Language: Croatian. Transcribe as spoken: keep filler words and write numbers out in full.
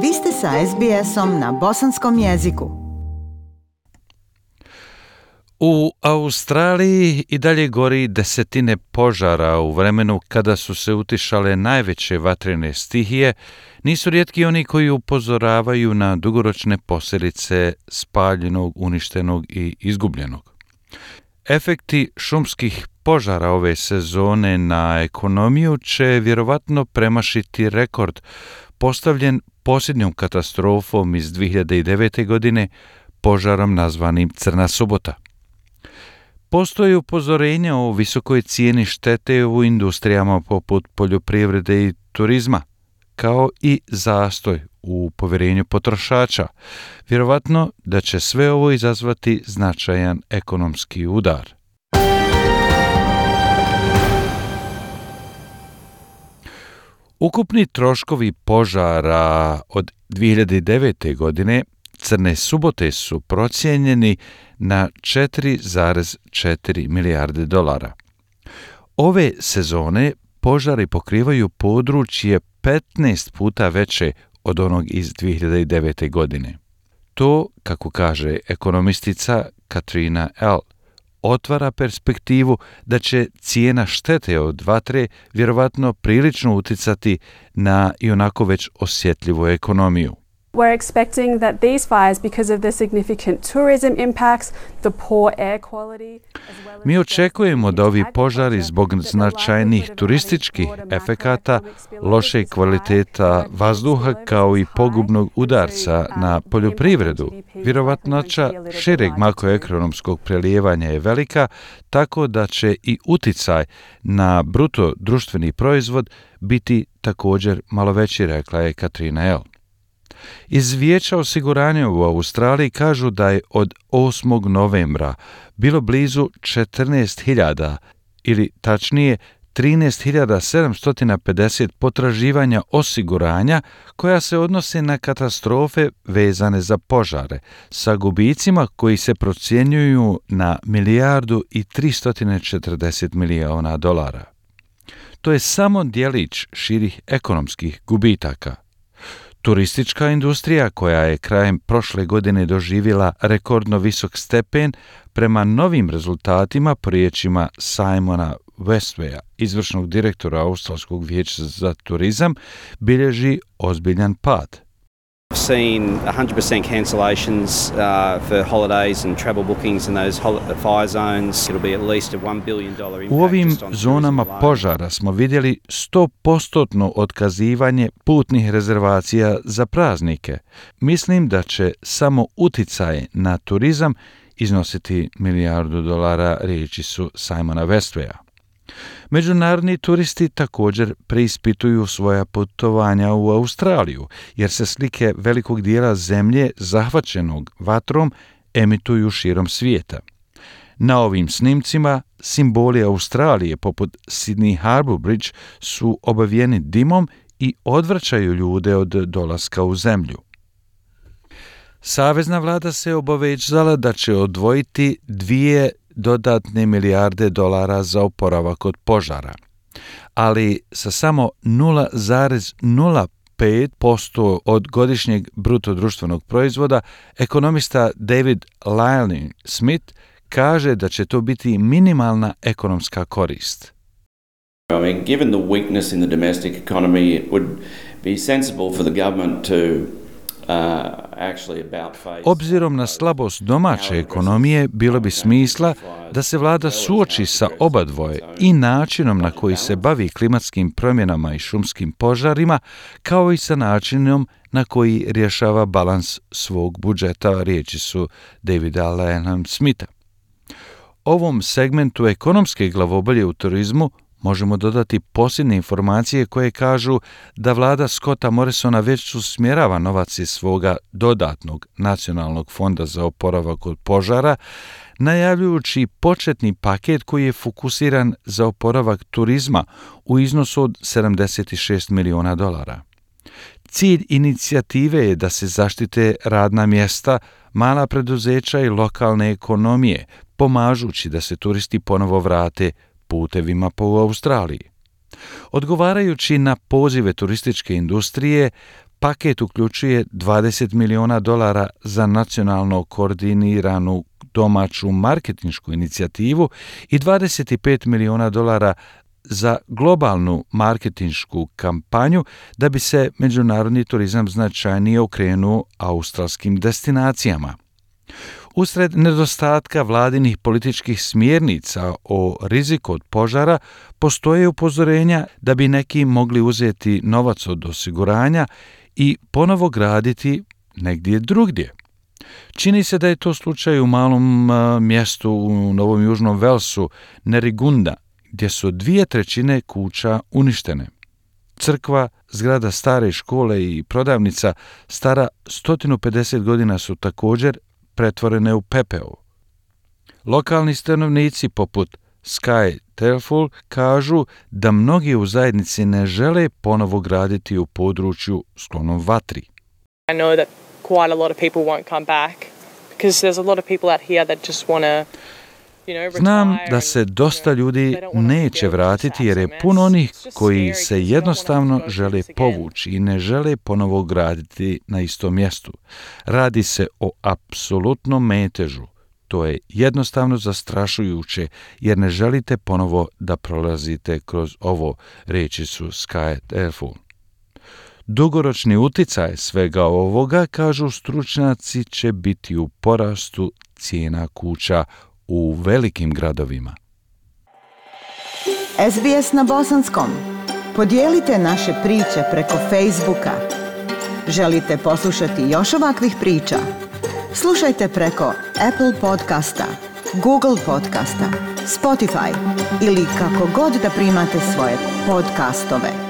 Vi ste sa es be esom na bosanskom jeziku. U Australiji i dalje gori desetine požara. U vremenu kada su se utišale najveće vatrene stihije, nisu rijetki oni koji upozoravaju na dugoročne posljedice spaljenog, uništenog i izgubljenog. Efekti šumskih požara ove sezone na ekonomiju će vjerovatno premašiti rekord postavljen posljednjom katastrofom iz dvije hiljade devete. godine, požarom nazvanim Crna subota. Postoji upozorenja o visokoj cijeni štete u industrijama poput poljoprivrede i turizma, kao i zastoj u povjerenju potrošača. Vjerovatno da će sve ovo izazvati značajan ekonomski udar. Ukupni troškovi požara od dvije hiljade devete. godine Crne subote su procijenjeni na četiri zarez četiri milijarde dolara. Ove sezone požari pokrivaju područje petnaest puta veće od onog iz dvije hiljade devete. godine. To, kako kaže ekonomistica Katrina L., otvara perspektivu da će cijena štete od vatre vjerovatno prilično uticati na ionako već osjetljivu ekonomiju. We're expecting that these fires, because of the significant tourism impacts, the poor air quality, as well as... Mi očekujemo da ovi požari zbog značajnih turističkih efekata, loše kvaliteta vazduha kao i pogubnog udarca na poljoprivredu, vjerovatnoća šireg makroekonomskog prelijevanja je velika, tako da će i uticaj na bruto društveni proizvod biti također malo veći, rekla je Katrina L. Iz Vijeća osiguranja u Australiji kažu da je od osmog novembra bilo blizu četrnaest hiljada ili tačnije trinaest hiljada sedamsto pedeset potraživanja osiguranja koja se odnose na katastrofe vezane za požare sa gubicima koji se procjenjuju na milijardu i tristo četrdeset milijuna dolara. To je samo djelić širih ekonomskih gubitaka. Turistička industrija, koja je krajem prošle godine doživjela rekordno visok stepen, prema novim rezultatima po riječima Simona Westwaya, izvršnog direktora Australskog vijeća za turizam, bilježi ozbiljan pad. I've seen one hundred percent cancellations uh, for holidays and travel bookings in those hol- fire zones. It'll be at least a one billion dollars impact. U ovim zonama požara smo vidjeli sto posto otkazivanje putnih rezervacija za praznike. Mislim da će samo uticaj na turizam iznositi milijardu dolara, riječi su Simona Westwaya. Međunarodni turisti također preispituju svoja putovanja u Australiju, jer se slike velikog dijela zemlje zahvaćenog vatrom emituju širom svijeta. Na ovim snimcima simboli Australije poput Sydney Harbour Bridge su obavijeni dimom i odvraćaju ljude od dolaska u zemlju. Savezna vlada se obavezala da će odvojiti dvije dodatne milijarde dolara za oporavak od požara, ali sa samo nula zarez nula pet posto od godišnjeg bruto društvenog proizvoda, ekonomista David Lyle Smith kaže da će to biti minimalna ekonomska korist. I mean, given the weakness in the domestic economy, it would be sensible for the government to Obzirom na slabost domaće ekonomije, bilo bi smisla da se vlada suoči sa obadvoje i načinom na koji se bavi klimatskim promjenama i šumskim požarima, kao i sa načinom na koji rješava balans svog budžeta, riječi su Davida Lanham Smitha. Ovom segmentu ekonomske glavobolje u turizmu možemo dodati posljednje informacije koje kažu da vlada Scotta Morrisona već usmjerava novac iz svoga dodatnog nacionalnog fonda za oporavak od požara, najavljujući početni paket koji je fokusiran za oporavak turizma u iznosu od sedamdeset šest milijuna dolara. Cilj inicijative je da se zaštite radna mjesta, mala preduzeća i lokalne ekonomije, pomažući da se turisti ponovo vrate putevima po Australiji. Odgovarajući na pozive turističke industrije, Paket uključuje dvadeset miliona dolara za nacionalno koordiniranu domaću marketinšku inicijativu i dvadeset pet miliona dolara za globalnu marketinšku kampanju da bi se međunarodni turizam značajnije okrenuo australskim destinacijama. Usred nedostatka vladinih političkih smjernica o riziku od požara postoje upozorenja da bi neki mogli uzeti novac od osiguranja i ponovo graditi negdje drugdje. Čini se da je to slučaj u malom a, mjestu u Novom Južnom Velsu, Nerigunda, gdje su dvije trećine kuća uništene. Crkva, zgrada stare škole i prodavnica stara sto pedeset godina su također pretvorene u pepeo. Lokalni stanovnici poput Sky Telful kažu da mnogi u zajednici ne žele ponovo graditi u području sklonom vatri. I know that quite a lot of people won't come back because there's a lot of people out here that just want to Znam da se dosta ljudi neće vratiti jer je puno onih koji se jednostavno žele povući i ne žele ponovo graditi na istom mjestu. Radi se o apsolutnom metežu. To je jednostavno zastrašujuće jer ne želite ponovo da prolazite kroz ovo, reći su Sky Telful. Dugoročni uticaj svega ovoga, kažu stručnjaci, će biti u porastu cijena kuća u velikim gradovima. S B S na bosanskom. Podijelite naše priče preko Facebooka. Želite poslušati još ovakvih priča? Slušajte preko Apple podcasta, Google podcasta, Spotify ili kako god da primate svoje podcastove.